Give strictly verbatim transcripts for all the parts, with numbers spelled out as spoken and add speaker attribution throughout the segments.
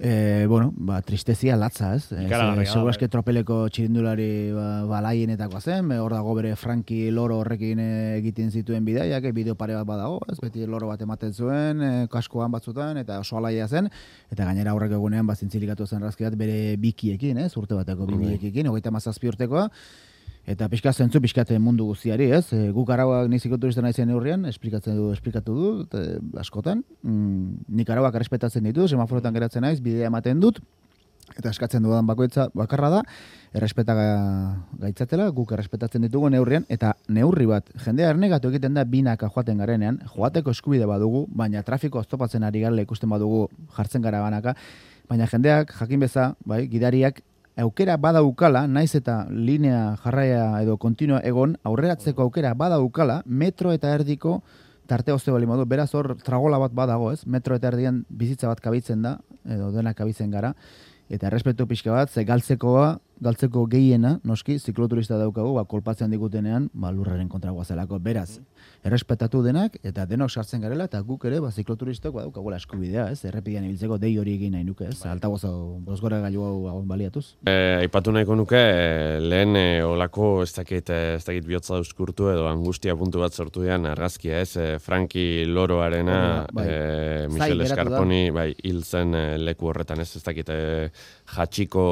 Speaker 1: E, bueno, ba, tristezia latza, ez? Seguro eske tropeleko txirindulari ba, balaienetakoa zen, hor dago bere Franki Loro horrekin egiten zituen bidaiak, bideo pare bat badago, ez? Beti loro bat ematen zuen, e, kaskoan batzutan, eta oso alaia zen, eta gainera aurrek egunean ba, zintzilikatu zen razki bat bere bikiekin, ez? Urte bateko bibiekin, hogeita hamazazpi urtekoa, eta pixka zentzu pixkate mundu guztiari, ez? E, guk arauak nizikoturista naizen neurrian, esplikatzen du, esplikatu du, e, askotan. Mm, nik arauak errespetatzen ditu, semaforotan geratzen naiz, bidea ematen dut, eta eskatzen dudan bakoitza bakarra da, errespeta gaitzatela, guk errespetatzen ditugu neurrian, eta neurri bat, jendea ernegatu egiten da binaka joaten garenean, joateko eskubide badugu, baina trafiko oztopatzen ari garela ikusten badugu jartzen gara banaka, baina jendeak jakin beza, bai, gidariak, aukera badaukala, naiz eta linea jarraia edo kontinua egon, aurreratzeko aukera badaukala, metro eta erdiko tarte ozte bali modu, beraz hor tragola bat badago, ez? Metro eta erdian bizitza bat kabitzen da, edo denak kabitzen gara, eta errespetu pixka bat, ze galtzekoa, galtzeko gehiena, noski, zikloturista daukagu, ba, kolpatzen digutenean, ba, lurraren kontra guazelako, beraz, errespetatu denak, eta denok sartzen garela, eta guk ere, ba, zikloturistok, ba, daukagula eskubidea, ez? Errepidean ibiltzeko dei hori egin nahi nuke, ez? Altabozo, bozgora gailu hau baliatuz.
Speaker 2: E, aipatu nahiko nuke, lehen e, olako, ez dakit, ez dakit bihotza dauzkurtu, edo angustia puntu bat sortu dean argazkia, ez? E, Franki Loroarena,
Speaker 1: bai.
Speaker 2: e, Michel Escarponi, bai, hil zen e, leku horretan, ez? Ez dakit, e, jatxiko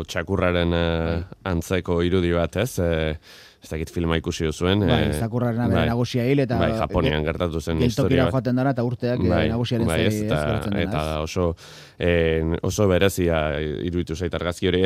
Speaker 2: txakurraren bai. Antzeko irudi bat, ez? E, ez dakit filma ikusi duzuen.
Speaker 1: Bai, zakurraren abere bai, nagusia hil, eta
Speaker 2: bai, Japonian gertatu zen historia.
Speaker 1: Geltokira joaten dara, eta urteak bai, nagusiaren bai, zari ez,
Speaker 2: eta, eta oso, eh, oso berezia iruditu zait argazki hori.